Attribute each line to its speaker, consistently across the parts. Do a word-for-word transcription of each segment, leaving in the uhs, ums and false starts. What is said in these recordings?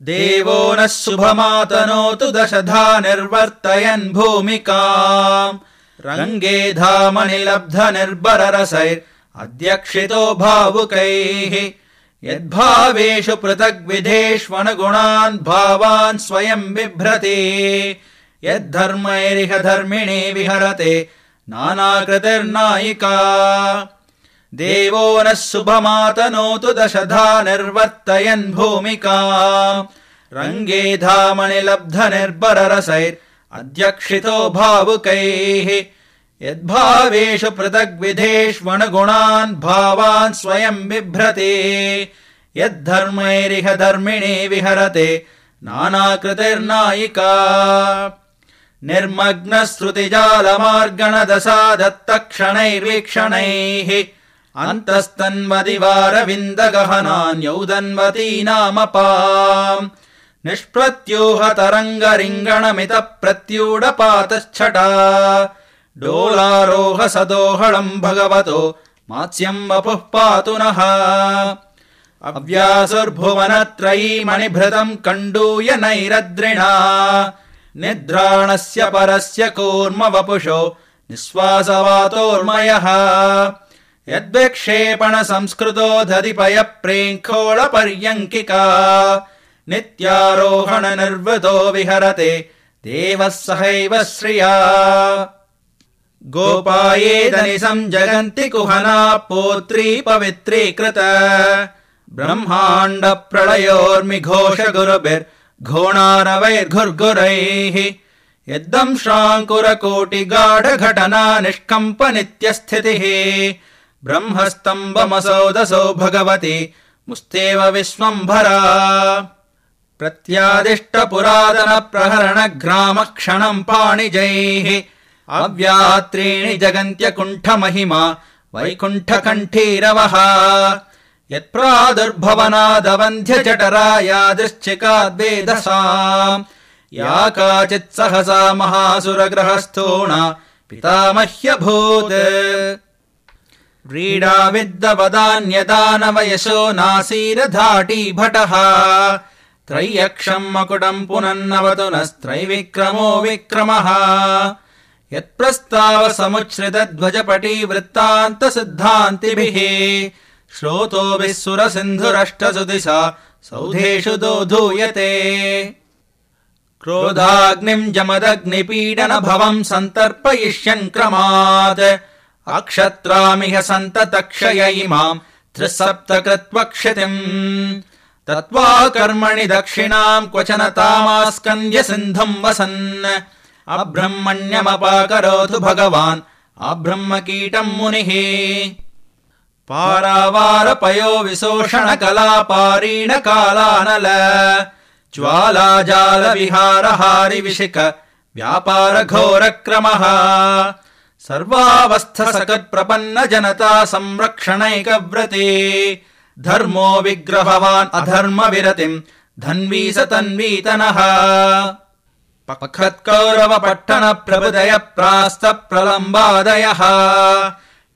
Speaker 1: देवो नः शुभमातनोतु दशधा निर्वर्तयन् भूमिकाम् रङ्गे धामनिलब्ध निर्बररसैर् अध्यक्षितो भावुकैः यद्भावेषु पृथग्विधेष्वनुगुणान् भावान् स्वयं बिभ्रति यद्धर्मैरिह धर्मिणे विहरते नानाकृतिर्नायिका देवो नः शुभमातनोतु दशधा निर्वर्तयन् भूमिकाम् रङ्गे धामनिलब्ध निर्बररसैर् अध्यक्षितो भावुकैः यद्भावेषु पृथग्विधेष्वनुगुणान् भावान् स्वयं बिभ्रति यद्धर्मैरिह धर्मिणे विहरते नानाकृतिर्नायिका निर्मग्नश्रुतिजालमार्गणदशा दत्तक्षणैर्वीक्षणैः अन्तस्तन्वदिवारविन्दगहनान्यौदन्वती नामपाम् निष्प्रत्यूहतरङ्गरिङ्गणमित प्रत्यूढपातश्छटा डोलारोह सदोहळम् भगवतो मात्स्यम् वपुः पातु नः अव्यासुर्भुवनत्रयी मणिभृतम् कण्डूय नैरद्रिणा निद्राणस्य परस्य कूर्म वपुषो निःश्वासवातोर्मयः यद्विक्षेपण संस्कृतो दधिपय प्रेङ्खोळपर्यङ्किका नित्यारोहण निर्वृतो विहरते देवः सहैव श्रिया गोपायेदनिशम् जगन्ति कुहना पौत्री पवित्रीकृत ब्रह्माण्ड प्रलयोर्मिघोष गुरुभिर्घोणारवैर्घुर्घुरैः यद्दंश्राङ्कुरकोटिगाढ घटना निष्कम्प नित्यस्थितिः ब्रह्मस्तम्भमसौदसो भगवति मुस्तेव विश्वम्भरा प्रत्यादिष्ट पुरातन प्रहरण ग्राम क्षणम् पाणिजैः अव्यात्रीणि जगन्त्यकुण्ठ महिमा वैकुण्ठकण्ठीरवः यत्प्रादुर्भवनादवन्ध्य जठरा यादृश्चिकाद्वेदसाम् या काचित् सहसा महासुरग्रहस्थूणा पितामह्यभूत् व्रीडा विद्दवदान्यदानवयशो नासीरधाटी भटः त्रय्यक्षम् मकुटम् पुनन्नवतु नस्त्रैविक्रमो विक्रमः यत्प्रस्ताव समुच्छ्रितध्वजपटी वृत्तान्त सिद्धान्तिभिः श्रोतोभिः सुरसिन्धुरष्टसुदिशा सौधेषु दोधूयते क्रोधाग्निम् जमदग्निपीडन भवम् सन्तर्पयिष्यन् क्रमात् अक्षत्रामिह सन्ततक्षय इमाम् त्रिसप्तकृत्वक्षितिम् तत्त्वा कर्मणि दक्षिणाम् क्वचन तामास्कन्द्य सिन्धुम् वसन् अब्रह्मण्यमपाकरोतु भगवान् अब्रह्मकीटम् मुनिः पारावारपयो विशोषण कलापारीण कालानल ज्वालाजाल विहारहारि विशिक व्यापार घोरक्रमः सर्वावस्थ सकत्प्रपन्न जनता संरक्षणैकव्रते धर्मो विग्रहवान् अधर्म विरतिम् धन्वी स तन्वीतनः पखत्कौरव पट्टन प्रबुदय प्रास्त प्रलम्बादयः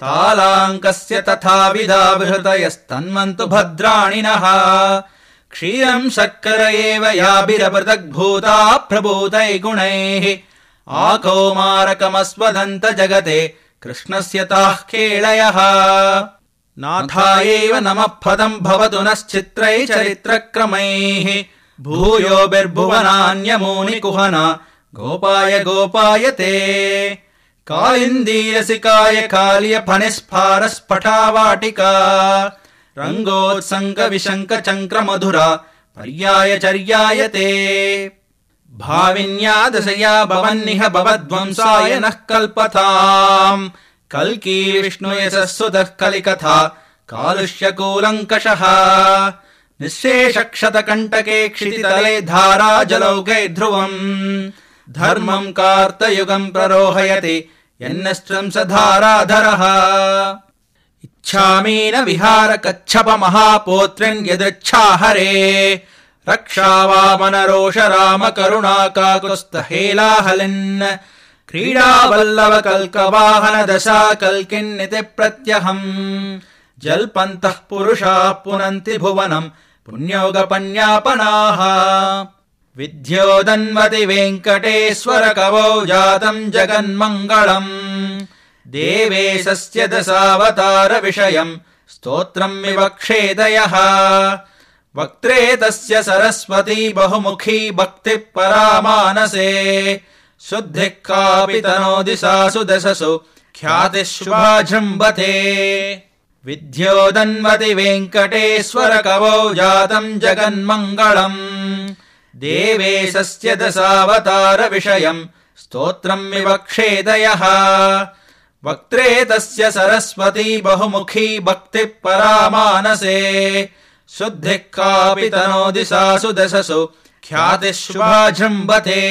Speaker 1: तालाङ्कस्य तथाविधा बृहतयस्तन्वन्तु भद्राणिनः क्षीरम् शर्कर एव याभिरपृथग्भूता प्रभूतै गुणैः आकौमारकमस्वदन्त जगते कृष्णस्य ताः केळयः नाथायैव नमः पदम् भवतु नश्चित्रै चरित्रक्रमैः भूयोभिर्भुवनान्यमूनि कुहना गोपाय गोपायते कालिन्दीरसिकाय काल्य फणिस्फारस्फटावाटिका रङ्गोत्सङ्ग विशङ्क चङ्क्र मधुरा पर्याय चर्यायते भाविन्या दशया भवन्निह भवद्वंसाय नः कल्पताम् कल्की विष्णुयशस्सुतः कलिकथा कालुष्यकूलङ्कषः निःशेषक्षतकण्टके क्षितितले धारा जलौके ध्रुवम् धर्मम् कार्तयुगम् प्ररोहयति यन्नश्चं स धाराधरः इच्छामीन विहार कच्छप महापोत्र्यन् यदृच्छा हरे रक्षावामन रोष राम करुणा काकुत्स्थ हेलाहलिन् क्रीडावल्लव कल्कवाहन दशा कल्किन्निति प्रत्यहम् जल्पन्तः पुरुषाः पुनन्ति भुवनम् पुण्योगपन्यापनाः विद्योदन्वति वेङ्कटेश्वर कवौ जातम् जगन्मङ्गलम् देवेशस्य दशावतार विषयम् स्तोत्रम् विवक्षेदयः वक्त्रे तस्य सरस्वती बहुमुखी भक्तिः परामानसे शुद्धिः कापि तनोति सासु दशसु ख्यातिः शुभा जृम्भते विद्योदन्वति वेङ्कटेश्वर कवौ जातम् जगन्मङ्गलम् देवेशस्य दशावतार विषयम् स्तोत्रम् विवक्षेदयः वक्त्रे तस्य सरस्वती बहुमुखी भक्तिः परामानसे शुद्धिः कापि तनोति सासु दशसु ख्यातिः शुभा जृम्भते।